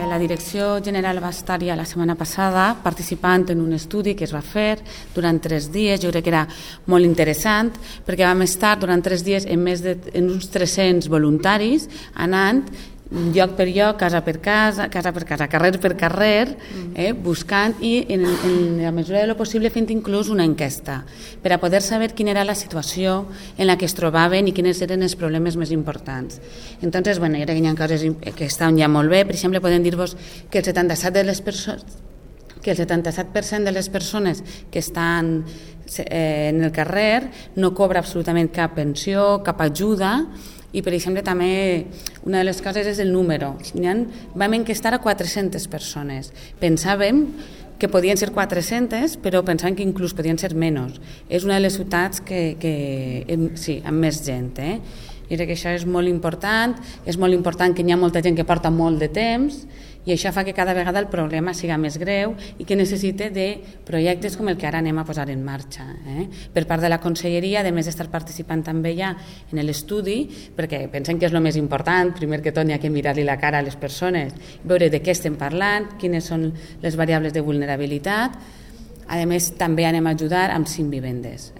la Direcció General va estar ja la setmana passada participant en un estudi que es va fer durant 3 dies. Jo crec que era molt interessant perquè vam estar durant 3 dies en uns 300 voluntaris anant lloc per lloc, casa per casa, carrer per carrer, buscant i en la mesura de lo possible fent inclús una enquesta per a poder saber quina era la situació en la que es trobaven i quins eren els problemes més importants. Entonces, bueno, jo crec que hi ha coses que estan ja molt bé. Per exemple, podem dir-vos que el 77% de les persones que estan en el carrer no cobra absolutament cap pensió, cap ajuda. I, per exemple, també una de les coses és el número. Vam enquestar a 400 persones. Pensàvem que podien ser 400, però pensàvem que inclús podien ser menys. És una de les ciutats sí, amb més gent. Jo crec que això és molt important que hi ha molta gent que porta molt de temps i això fa que cada vegada el problema siga més greu i que necessite de projectes com el que ara anem a posar en marxa. Per part de la Conselleria, a més d'estar participant també ja en l'estudi, perquè pensem que és el més important, primer que tot hi ha que mirar-li la cara a les persones, veure de què estem parlant, quines són les variables de vulnerabilitat. A més, també anem a ajudar amb 5 vivendes.